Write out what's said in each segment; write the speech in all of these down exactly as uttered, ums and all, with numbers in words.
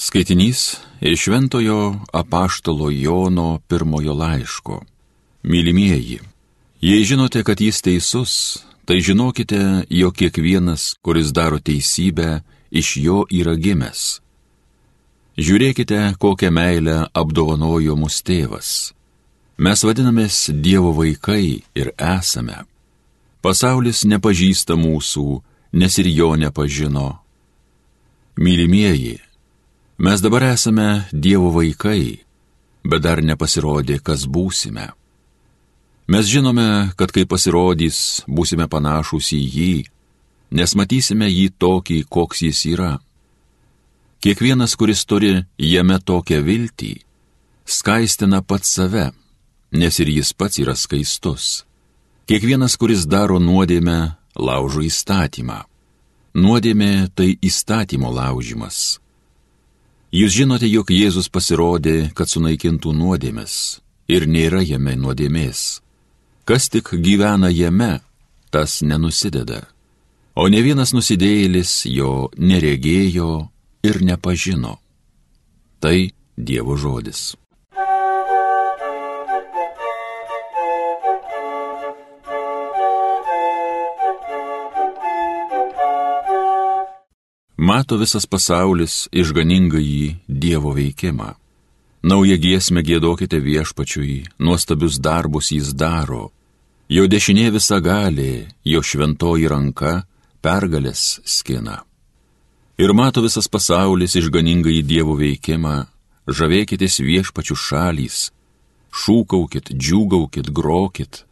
Skaitinys iš Šventojo apaštalo Jono pirmojo laiško. Mylimieji, jei žinote, kad jis teisus, tai žinokite, jog kiekvienas, kuris daro teisybę, iš jo yra gimęs. Žiūrėkite, kokią meilę apdovanojo mus tėvas. Mes vadinamės Dievo vaikai ir esame. Pasaulis nepažįsta mūsų, nes ir jo nepažino. Mylimieji, mes dabar esame Dievo vaikai, bet dar nepasirodė, kas būsime. Mes žinome, kad kai pasirodys, būsime panašūs į jį, nes matysime jį tokį, koks jis yra. Kiekvienas, kuris turi jame tokią viltį, skaistina pats save, nes ir jis pats yra skaistus. Kiekvienas, kuris daro nuodėmę, laužo įstatymą. Nuodėmė tai įstatymo laužimas. Jūs žinote, jog Jėzus pasirodė, kad sunaikintų nuodėmes, ir nėra jame nuodėmės. Kas tik gyvena jame, tas nenusideda. O ne vienas nusidėjėlis jo neregėjo ir nepažino. Tai Dievo žodis. Mato visas pasaulis išganingąjį Dievo veikimą. Naują giesmę giedokite Viešpačiui, nuostabius darbus jis daro. Jo dešinė visagalė, jo šventoji ranka pergalės skina. Ir mato visas pasaulis išganingąjį Dievo veikimą, žavėkitės Viešpačių šalys, šūkaukit, džiūgaukit, grokit.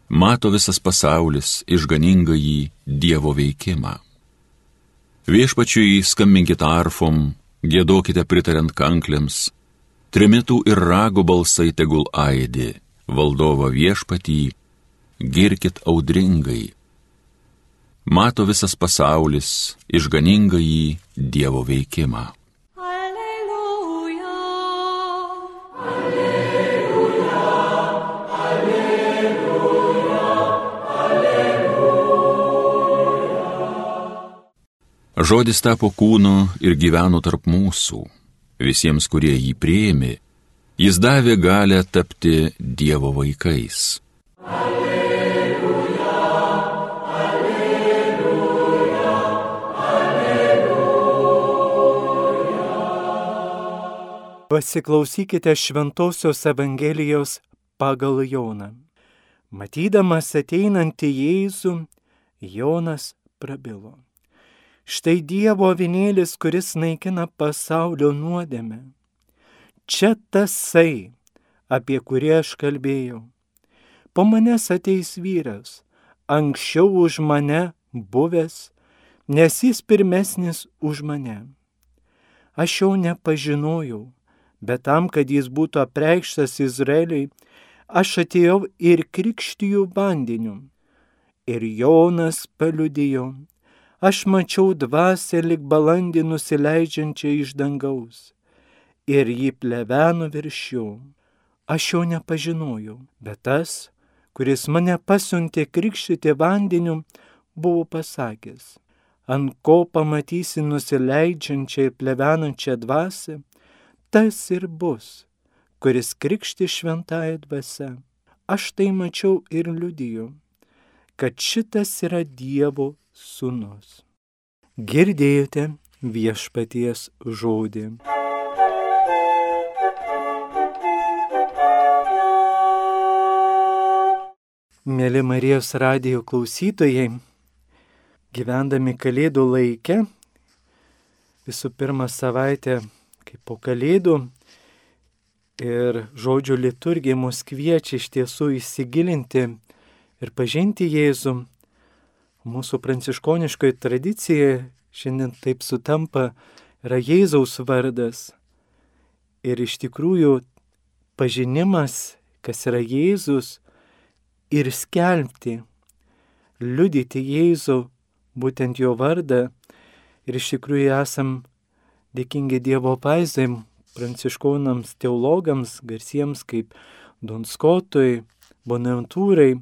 Mato visas pasaulis išganingąjį Dievo veikimą. Viešpačiui skambinkit arfom, giedokite pritariant kanklėms, trimitų ir rago balsai tegul aidi, valdovą Viešpatį, girkit audringai. Mato visas pasaulis išganingąjį Dievo veikimą. Alleluja, Žodis tapo kūnu ir gyveno tarp mūsų. Visiems, kurie jį priėmė, jis davė galią tapti Dievo vaikais. Alleluja, alleluja, alleluja. Pasiklausykite Šventosios Evangelijos pagal Joną. Matydamas ateinantį Jėzų, Jonas prabilo. Štai Dievo avinėlis, kuris naikina pasaulio nuodėmę. Čia tasai, apie kurį aš kalbėjau. Po manęs ateis vyras, anksčiau už mane buvęs, nes jis pirmesnis už mane. Aš jo nepažinojau, bet tam, kad jis būtų apreikštas Izraeliui, aš atėjau ir krikštiju vandeniu. Ir Jonas paliudijo. Aš mačiau dvasią lyg balandį nusileidžiančią iš dangaus, ir jį pleveno virš jo. Aš jo nepažinojau, bet tas, kuris mane pasiuntė krikštyti vandeniu, buvo pasakęs, ant ko pamatysi nusileidžiančią ir plevenančią dvasią, tas ir bus, kuris krikšti šventąja dvasia. Aš tai mačiau ir liudiju, kad šitas yra Dievo sūnus. Girdėjote Viešpaties žodį. Mėly Marijos radijo klausytojai, gyvendami Kalėdų laike, visų pirma savaitę kaip po Kalėdų ir žodžio liturgija mus kviečia iš tiesų įsigilinti ir pažinti Jėzų. Mūsų pranciškoniškoji tradicija šiandien taip sutampa, yra Jėzaus vardas. Ir iš tikrųjų pažinimas, kas yra Jėzus, ir skelbti, liudyti Jėzų, būtent jo vardą. Ir iš tikrųjų esam dėkingi Dievo paizai, pranciškonams teologams, garsiems kaip Don Skotui, Bonaventūrai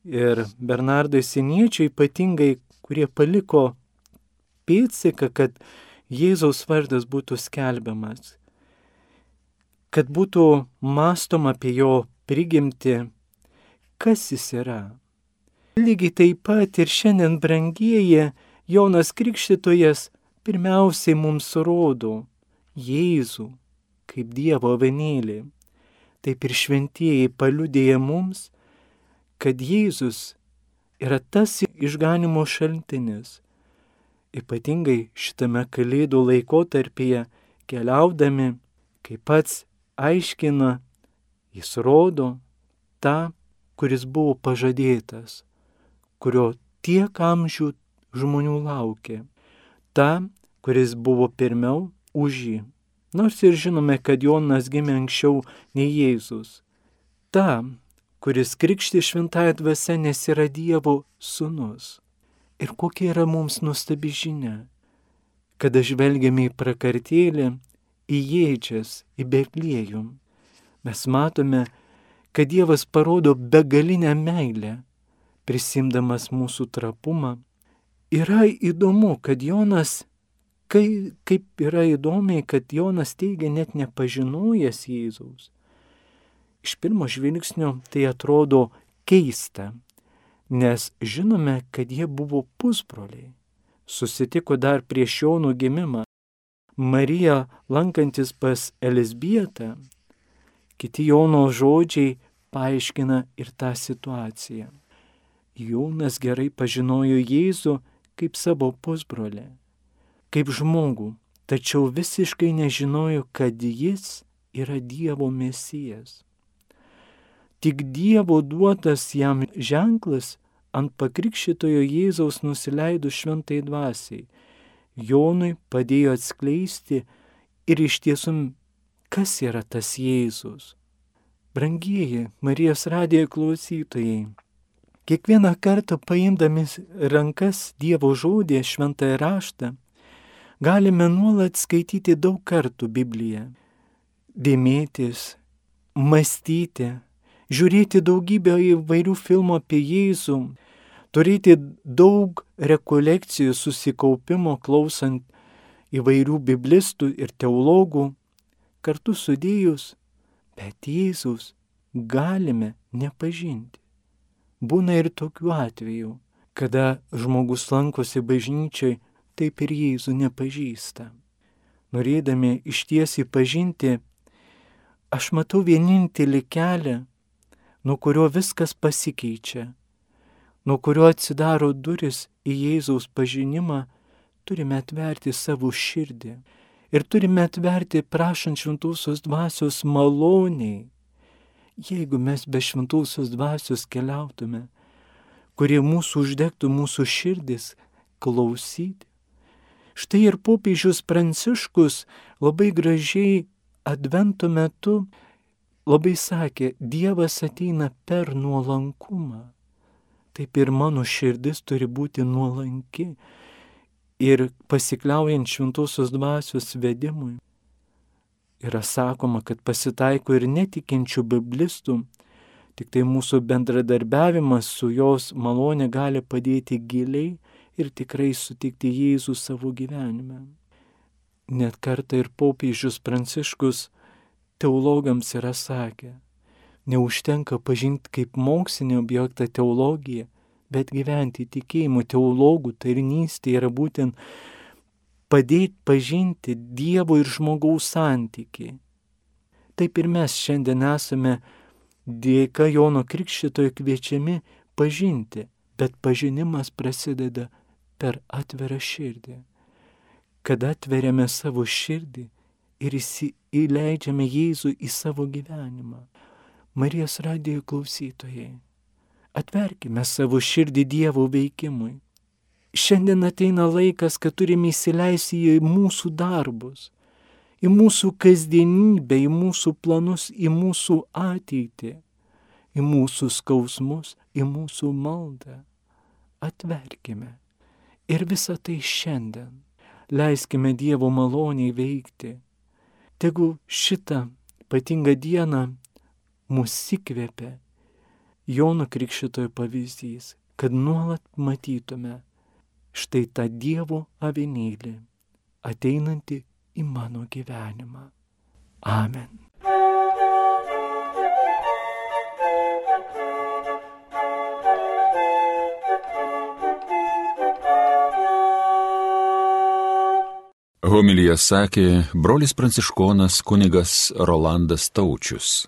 ir Bernardui Siniečiui ypatingai, kurie paliko pėdsaką, kad Jėzaus vardas būtų skelbiamas, kad būtų mąstoma apie jo prigimtį, kas jis yra. Lygiai taip pat ir šiandien, brangieji, Jonas Krikštytojas pirmiausiai mums rodo Jėzų kaip Dievo avinėlį. Taip ir šventieji paliudėja mums, kad Jėzus yra tas išganimo šaltinis. Ypatingai šitame Kalėdų laikotarpyje keliaudami, kaip pats aiškina, jis rodo tą, kuris buvo pažadėtas, kurio tiek amžių žmonių laukė, tą, kuris buvo pirmiau už jį. Nors ir žinome, kad Jonas gimė anksčiau nei Jėzus. Ta, kuris krikštė šventąja dvasia, nes yra Dievo sūnus. Ir kokia yra mums nuostabi žinia, kada žvelgiame į prakartėlę, į Jėdžias, į Betliejų. Mes matome, kad Dievas parodo begalinę meilę, prisimdamas mūsų trapumą. Yra įdomu, kad Jonas, kai, kaip yra įdomiai, kad Jonas teigia net nepažinojęs Jėzaus. Iš pirmo žvilgsnio tai atrodo keista, nes žinome, kad jie buvo pusbroliai. Susitiko dar prieš Jono gimimą. Marija lankantis pas Elizbietą, kiti Jono žodžiai paaiškina ir tą situaciją. Jonas gerai pažinojo Jėzų kaip savo pusbrolį, kaip žmogų, tačiau visiškai nežinojo, kad jis yra Dievo Mesijas. Tik Dievo duotas jam ženklas ant pakrikščitojo Jėzaus nusileidus šventai dvasiai Jonui padėjo atskleisti ir iš tiesų, kas yra tas Jėzus. Brangieji Marijos radijo klausytojai, kiekvieną kartą paimdami rankas Dievo žodį, šventąjį raštą, galime nuolat skaityti daug kartų Bibliją, dėmėtis, mąstyti, žiūrėti daugybę įvairių filmų apie Jėzų, turėti daug rekolekcijų, susikaupimo, klausant įvairių biblistų ir teologų, kartu sudėjus, bet Jėzus galime nepažinti. Būna ir tokių atvejų, kada žmogus lankosi bažnyčiai, taip ir Jėzų nepažįsta. Norėdami ištiesiai pažinti, aš matau vienintelį kelią, nuo kurio viskas pasikeičia, nuo kurio atsidaro duris į Jėzaus pažinimą, turime atverti savo širdį ir turime atverti prašant šventosios dvasios maloniai. Jeigu mes be šventosios dvasios keliautume, kurie mūsų uždegtų mūsų širdis klausyti. Štai ir popiežius Pranciškus labai gražiai advento metu labai sakė, Dievas ateina per nuolankumą. Taip ir mano širdis turi būti nuolanki ir pasikliaujant šventosios dvasios vedimui. Yra sakoma, kad pasitaiko ir netikinčių biblistų, tik tai mūsų bendradarbiavimas su jos malonė gali padėti giliai ir tikrai sutikti Jėzų savo gyvenime. Net kartą ir popiežius Pranciškus teologams yra sakę, neužtenka pažinti kaip mokslinį objektą teologiją, bet gyventi tikėjimu. Teologų tarnystė yra būtent padėti pažinti Dievo ir žmogaus santykį. Taip ir mes šiandien esame dėka Jono Krikštytojo kviečiami pažinti, bet pažinimas prasideda per atvirą širdį. Kada atveriame savo širdį ir įleidžiame Jėzų į savo gyvenimą. Marijos radijo klausytojai, atverkime savo širdį Dievo veikimui. Šiandien ateina laikas, kad turime įsileisti į mūsų darbus, į mūsų kasdienybę, į mūsų planus, į mūsų ateitį, į mūsų skausmus, į mūsų maldą. Atverkime ir visą tai šiandien. Leiskime Dievo maloniai veikti. Tegu šitą ypatingą dieną mus įkvėpia Jono Krikštytojo pavyzdys, kad nuolat matytume štai tą Dievo avinėlį, ateinanti į mano gyvenimą. Amen. Homiliją sakė brolis pranciškonas kunigas Rolandas Taučius.